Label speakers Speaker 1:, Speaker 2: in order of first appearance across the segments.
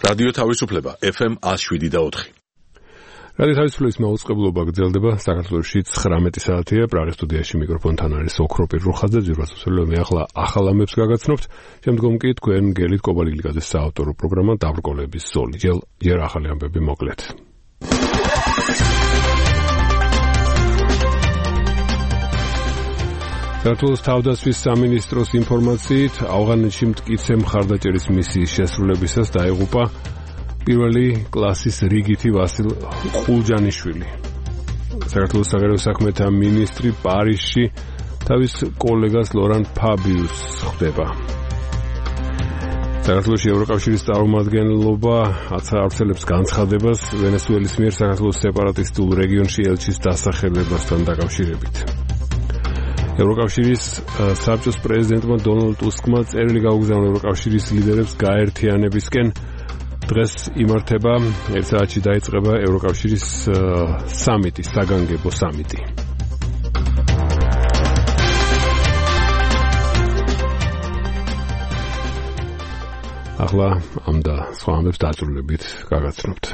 Speaker 1: რადიო თავისუფლება FM 107.4.
Speaker 2: რადიო თავისუფლების მაუწყებლობა გრძელდება საქართველოში 19 საათია. პრაღის სტუდიაში მიკროფონთან არის ოქროპირ რუხაძე. ძირვასუსელო მე ახლა ახალ ამბებს გაგაცნობთ. შემდგომ კი თქვენ გელით კობალიგლიაძეს საავტორო პროგრამა დაბრკოლების ზოლი. ჯერ ახალი ამბები მოკლედ. საქართველოს თავდაცვის სამინისტროს ინფორმაციით, ავღანეთში მტკიცე მხარდაჭერის მისიის შესრულებისას დაიღუპა პირველი კლასის რიგითი ვასილ ყულჯანიშვილი. საქართველოს საგარეო საქმეთა მინისტრი პარიზში თავის კოლეგას ლორან ფაბიუსს ხვდება. საქართველოში ევროკავშირის წარმომადგენლობა აცხადებს განცხადებას ვენესუელის მიერ საქართველოს სეპარატისტულ რეგიონში ელჩის დასახელებასთან დაკავშირებით. ევროკავშირის საბჭოს პრეზიდენტმა დონალდ ტუსკმა წერილი გაუგზავნა ევროკავშირის ლიდერებს გაერთიანებისკენ. დღეს იმართება 1 საათში დაიწყება ევროკავშირის სამიტი, საგანგებო სამიტი. ახლა ამ და სხვა ამბებს დაწვრილებით გაგაცნობთ.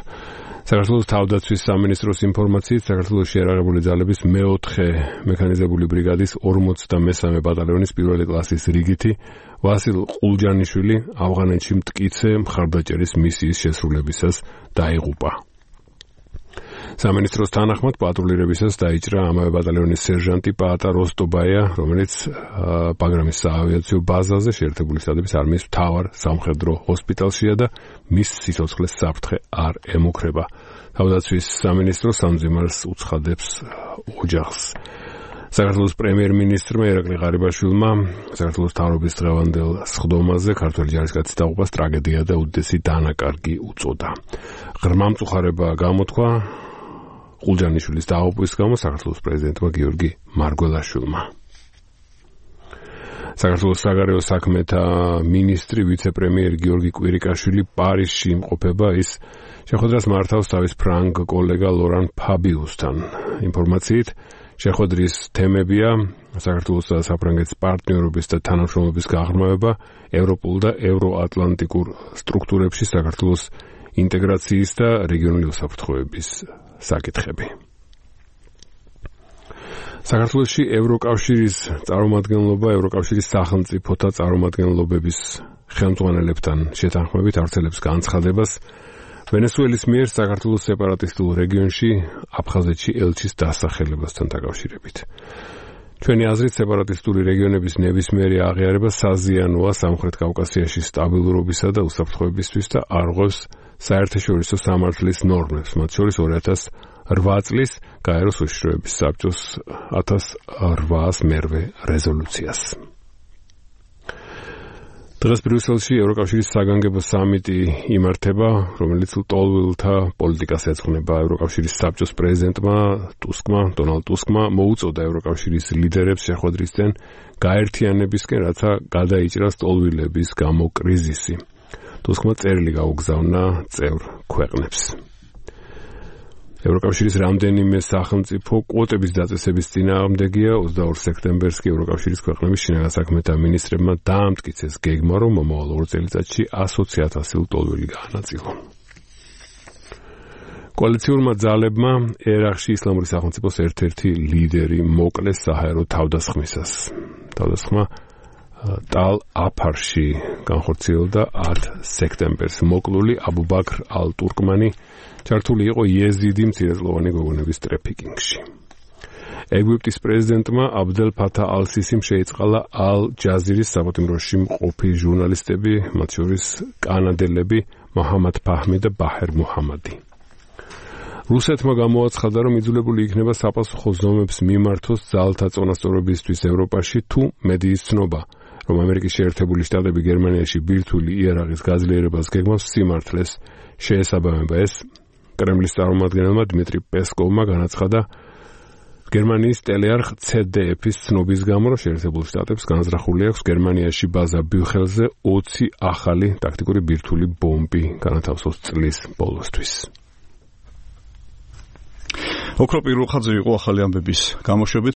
Speaker 2: საქართველოს თავდაცვის სამინისტროს ინფორმაციით, საქართველოს შეიარაღებული ძალების მეოთხე მექანიზებული ბრიგადის 43 ბატალიონის პირველი კლასის რიგითი ვასილ ყულჯანიშვილი ავღანეთში მტკიცე მხარდაჭერის მისიის შესრულებისას დაიღუპა. სამინისტროს თანახმად პატრულირებისას დაიჭრა ამავე ბატალიონის სერჟანტი პაატა როსტობაია, რომელიც ბაგრამის საავიაციო ბაზაზე შეერთებული შტატების არმიის მთავარ სამხედრო ჰოსპიტალშია და მის სიცოცხლეს საფრთხე არ ემუქრება. თავდაცვის სამინისტრო სამძიმარს უცხადებს ოჯახს. საქართველოს პრემიერ-მინისტრმა ირაკლი ღარიბაშვილმა საქართველოს მთავრობის დღევანდელ სხდომაზე ქართველი ჯარისკაცის დაღუპვას ტრაგედია და უდიდესი დანაკარგი უწოდა. ღრმა მწუხარება გამოთქვა ყულჯანიშვილის დაღუპვის გამო საქართველოს პრეზიდენტმა გიორგი მარგველაშვილმა. საქართველოს საგარეო საქმეთა მინისტრი ვიცე-პრემიერ გიორგი კვირიკაშვილი პარიზში იმყოფება. ის შეხვედრას მართავს თავის ფრანგ კოლეგა ლორან ფაბიუსთან. ინფორმაციით, შეხვედრის თემებია საქართველოს და საფრანგეთის პარტნიორობის და თანამშრომლობის გაღრმავება, ევროპულ და ევროატლანტიკურ სტრუქტურებში საქართველოს ინტეგრაციის და რეგიონული უსაფრთხოების საკითხები. საქართველოში ევროკავშირის წარმომადგენლობა ევროკავშირის სახელმწიფოთა წარმომადგენლობების ხელმძღვანელებთან შეთანხმებით ავრცელებს განცხადებას ვენესუელის მიერ საქართველოს სეპარატისტულ რეგიონში აფხაზეთში ელჩის დასახელებასთან დაკავშირებით. ჩვენი აზრით სეპარატისტული რეგიონების ნებისმიერი აღიარება საზიანოა სამხრეთ კავკასიაში სტაბილურობისა და უსაფრთხოებისთვის და არღვევს საერთაშორისო სამართლის ნორმებს, მათ შორის 2008 წლის გაეროს უშიშროების საბჭოს 1801 რეზოლუციას. დღეს ბრიუსელში ევროკავშირის საგანგებო სამიტი იმართება, რომელიც ლტოლვილთა პოლიტიკას ეძღვნება. ევროკავშირის საბჭოს პრეზიდენტმა დონალდ ტუსკმა მოუწოდა ევროკავშირის ლიდერებს შეხვედრისკენ გაერთიანებისკენ, რათა გადაიჭრას ლტოლვილების გამო კრიზისი. ტუსკმა წერილი გაუგზავნა წევრ ქვეყნებს. ევროკავშირის რამდენიმე სახელმწიფო კვოტების დაწესების წინააღმდეგია. 22 სექტემბერს კი ევროკავშირის ქვეყნების შინაგან საქმეთა მინისტრებმა დაამტკიცეს გეგმა, რომ მომავალ 2 წელიწადში 120,000 ლტოლვილი გაანაწილონ. კოალიციურმა ძალებმა ერაყში ისლამური სახელმწიფოს ერთ-ერთი ლიდერი მოკლეს საჰაერო თავდასხმისას. თავდასხმა ტალ აფარში განხორციელდა 10 სექტემბერს. მოკლული აბუ ბაქრ ალ-ტურკმანი ჩართული იყო იეზიდი მცირეწლოვანი გოგონების ტრაფიკინგში. ეგვიპტის პრეზიდენტმა აბდელ ფათა ალ-სისიმ შეიწყალა ალ-ჯაზირის საპატიმროში მყოფი ჟურნალისტები, მათ შორის კანადელები მოჰამად ფაჰმი და ბაჰერ მუჰამადი. რუსეთმა გამოაცხადა, რომ იძულებული იქნება საპასუხო ზომებს მიმართოს ძალთა წონასწორობისთვის ევროპაში, თუ მედიის ცნობა, რომ ამერიკის შეერთებული შტატები გერმანიაში ბირთვული იარაღის გაძლიერებას გეგმავს სიმართლეს შეესაბამება. ეს კრემლის წარმომადგენელმა დმიტრი პესკოვმა განაცხადა გერმანიის ტელეარხ CDF-ის ცნობის გამო, რომ შეერთებულ შტატებს განზრახული აქვს გერმანიაში ბაზა ბიუხელზე 20 ახალი ტაქტიკური ბირთვული ბომბი განათავსოს წლის ბოლოსთვის.
Speaker 3: ოქროპირ რუხაძე იყო ახალი ამბების გამოშვებით.